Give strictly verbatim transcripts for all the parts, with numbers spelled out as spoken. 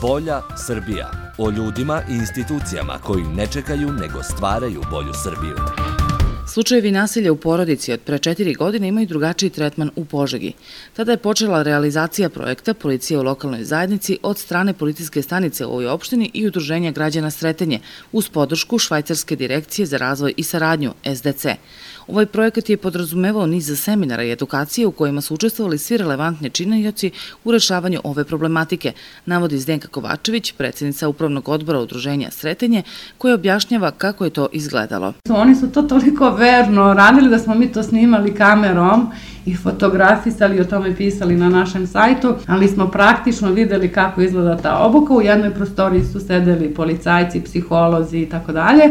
Bolja Srbija. O ljudima i institucijama koji ne čekaju nego stvaraju bolju Srbiju. Slučajevi nasilja u porodici od pre četiri godine imaju drugačiji tretman u Požegi. Tada je počela realizacija projekta Policija u lokalnoj zajednici od strane policijske stanice u ovoj opštini i Udruženja građana Sretenje uz podršku Švajcarske direkcije za razvoj i saradnju S D C. Ovaj projekat je podrazumevao niz seminara i edukacije u kojima su učestvovali svi relevantni činioci u rešavanju ove problematike, navodi Zdenka Kovačević, predsjednica Upravnog odbora Udruženja Sretenje, koja objašnjava kako je to izgledalo. Oni su to toliko verno radili da smo mi to snimali kamerom i fotografisali, o tome pisali na našem sajtu, ali smo praktično videli kako izgleda ta obuka. U jednoj prostoriji su sedeli policajci, psiholozi i tako dalje,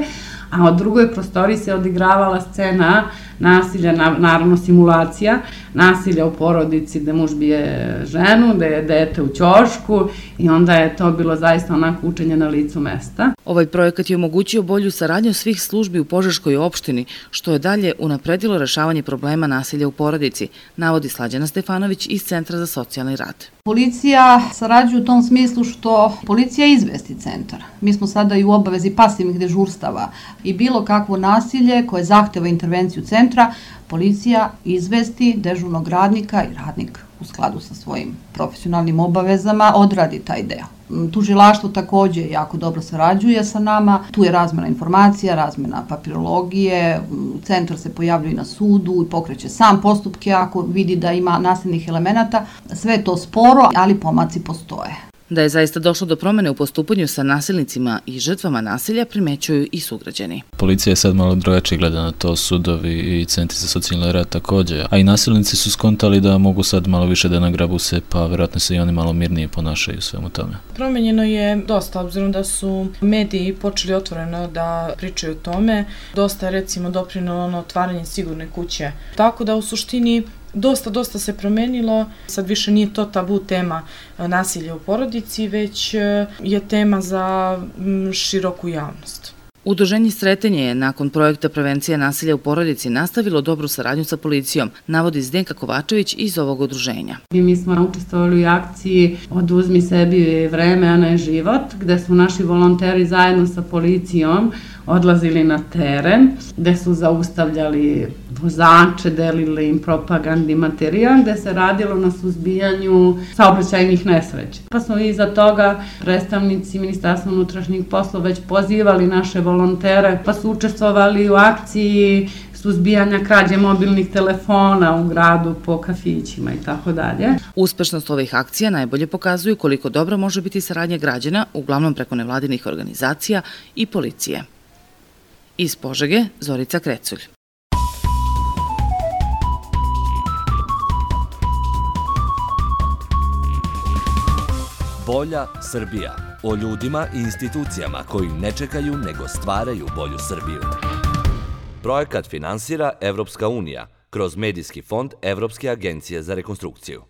a u drugoj prostoriji se odigravala scena nasilja, naravno simulacija, nasilja u porodici gde muž bije ženu, gde je dete u ćošku i onda je to bilo zaista onako učenje na licu mesta. Ovaj projekat je omogućio bolju saradnju svih službi u Požeškoj opštini, što je dalje unapredilo rešavanje problema nasilja u porodici, navodi Slađana Stefanović iz Centra za socijalni rad. Policija sarađuje u tom smislu što policija izvesti centar. Mi smo sada i u obavezi pasivnih dežurstava i bilo kakvo nasilje koje zahteva intervenciju centra, policija izvesti dežurnog radnika i radnik u skladu sa svojim profesionalnim obavezama odradi taj deo. Tužilaštvo takođe jako dobro sarađuje sa nama, tu je razmena informacija, razmena papirologije, centar se pojavljuje na sudu i pokreće sam postupke ako vidi da ima nasilnih elemenata. Sve je to sporo, ali pomaci postoje. Da je zaista došlo do promene u postupanju sa nasilnicima i žrtvama nasilja primećuju i sugrađani. Policija je sad malo drugačije gleda na to, sudovi i centri za socijalni rad takođe, a i nasilnici su skontali da mogu sad malo više da nagrabu se, pa verovatno se i oni malo mirnije ponašaju svemu tome. Promenjeno je dosta, obzirom da su mediji počeli otvoreno da pričaju o tome, dosta je recimo doprinelo na otvaranje sigurne kuće, tako da u suštini Dosta, dosta se promenilo, sad više nije to tabu tema nasilja u porodici, već je tema za široku javnost. Udruženje Sretenje je nakon projekta prevencija nasilja u porodici nastavilo dobru saradnju sa policijom, navodi Zdenka Kovačević iz ovog udruženja. Mi smo učestvovali u akciji Oduzmi sebi vreme, a ne život, gde su naši volonteri zajedno sa policijom odlazili na teren, gde su zaustavljali vozače, delili im propagandni materijal, gde se radilo na suzbijanju saobraćajnih nesreća. Pa smo iza toga predstavnici Ministarstva unutrašnjih poslova već pozivali naše volontere, pa su učestvovali u akciji suzbijanja krađe mobilnih telefona u gradu po kafićima i tako dalje. Uspešnost ovih akcija najbolje pokazuju koliko dobro može biti saradnja građana, uglavnom preko nevladinih organizacija i policije. Iz Požege, Zorica Kreculj. Bolja Srbija. O ljudima i institucijama koji ne čekaju nego stvaraju bolju Srbiju. Projekat finansira Evropska unija kroz Medijski fond Evropske agencije za rekonstrukciju.